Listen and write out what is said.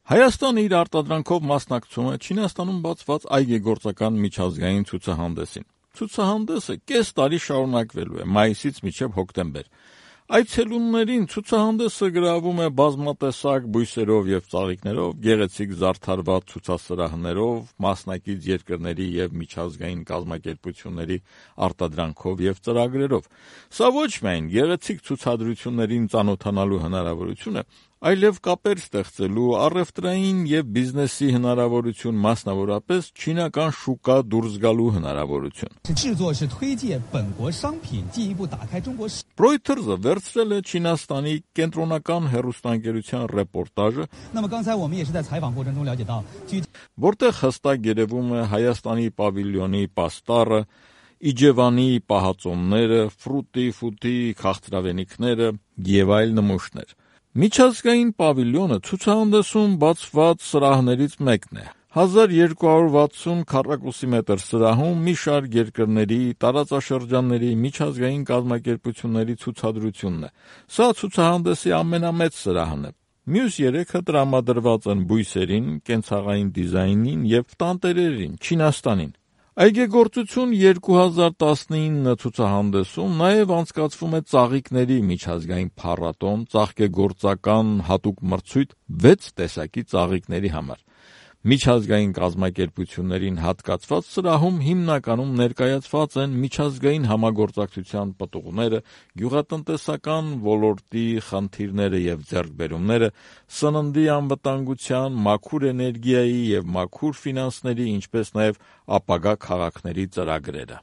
Հայաստանը իր արտադրանքով մասնակցում է Չինաստանում բացված այգեգործական միջազգային ցուցահանդեսին։ Ցուցահանդեսը կես տարի շարունակվելու է մայիսից մինչև հոկտեմբեր։ Այցելուներին ցուցահանդեսը գրավում է բազմատեսակ բույսերով եւ ծաղիկներով, գեղեցիկ զարդարված ցուցասրահներով, մասնակից երկրների եւ միջազգային կազմակերպությունների արտադրանքով եւ ծրագրերով։ Սա ոչ միայն գեղեցիկ ցուցադրություններին ծանոթանալու հնարավորություն է, այլև կապեր ստեղծելու, առևտրային եւ բիզնեսի հնարավորություն, մասնավորապես չինական շուկա դուրս գալու հնարավորություն։ Reuters-ը վերցրել է Չինաստանի կենտրոնական հեռուստաընկերության ռեպորտաժը, որտեղ հստակ երևում է Հայաստանի պավիլյոնի պաստառը, Իջևանի պահածոները, ֆուտի քաղցրավենիքները եւ այլ նմուշներ։ Միջազգային պավիլյոնը ցուցահանդեսում բացված սրահներից մեկն է։ 1260 քառակուսի մետր սրահում մի շարք երկրների, տարածաշրջանների, միջազգային կազմակերպությունների ցուցադրությունն է։ Սա ցուցահանդեսի ամենամեծ սրահն է։ Մյուս 3-ը տրամադրված են բույսերին, կենցաղային դիզայնին եւ տանտերերին, Չինաստանին։ Այգեգործություն 2019 ցուցահանդեսում նաև անցկացվում է ծաղիկների միջազգային փառատոն, ծաղկեգործական հատուկ մրցույթ 6 տեսակի ծաղիկների համար։ Միջազգային կազմակերպություններին հատկացված սրահում հիմնականում ներկայացված են միջազգային համագործակցության պտուղները, գյուղատնտեսական ոլորտի խնդիրները եւ ձեռքբերումները, սննդի անվտանգության, մաքուր էներգիայի եւ մաքուր ֆինանսների, ինչպես նաեւ ապագա քաղաքների ծրագրերը։